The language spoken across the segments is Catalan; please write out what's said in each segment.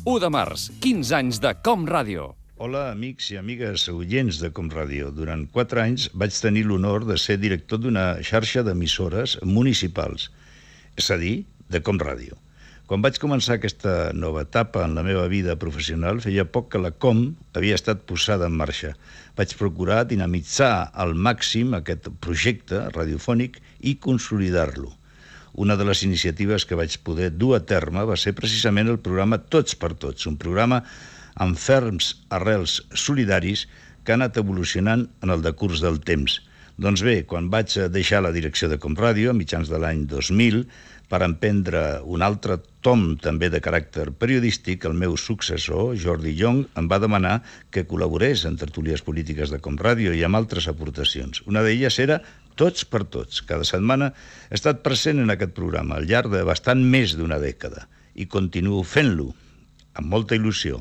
1 de març, 15 anys de Com Ràdio. Hola, amics i amigues oients de Com Ràdio. Durant 4 anys vaig tenir l'honor de ser director d'una xarxa d'emissores municipals, és a dir, de Com Ràdio. Quan vaig començar aquesta nova etapa en la meva vida professional, feia poc que la Com havia estat posada en marxa. Vaig procurar dinamitzar al màxim aquest projecte radiofònic i consolidar-lo. Una de les iniciatives que vaig poder dur a terme va ser precisament el programa Tots per Tots, un programa amb ferms arrels solidaris que ha anat evolucionant en el decurs del temps. Doncs bé, quan vaig deixar la direcció de Com Ràdio, a mitjans de l'any 2000, per emprendre un altre tom també de caràcter periodístic, el meu successor, Jordi Young, em va demanar que col·laborés en tertúlies polítiques de Com Ràdio i amb altres aportacions. Una d'elles era Tots per Tots. Cada setmana he estat present en aquest programa al llarg de bastant més d'una dècada i continuo fent-lo amb molta il·lusió.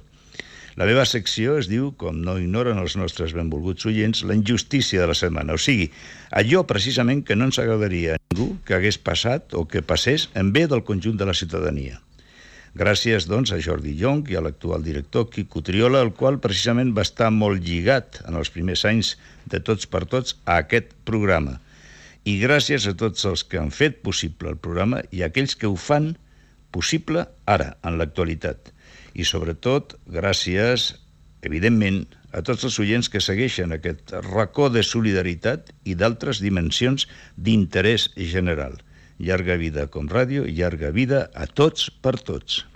La meva secció es diu, com no ignoren els nostres benvolguts oients, la injustícia de la setmana. O sigui, allò precisament que no ens agradaria a ningú que hagués passat o que passés en bé del conjunt de la ciutadania. Gràcies, doncs, a Jordi Young i a l'actual director Quico Triola, el qual precisament va estar molt lligat en els primers anys de Tots per Tots a aquest programa. I gràcies a tots els que han fet possible el programa i a aquells que ho fan possible ara, en l'actualitat. I sobretot, gràcies, evidentment, a tots els oients que segueixen aquest racó de solidaritat i d'altres dimensions d'interès general. Llarga vida a Com Ràdio i llarga vida a Tots per Tots.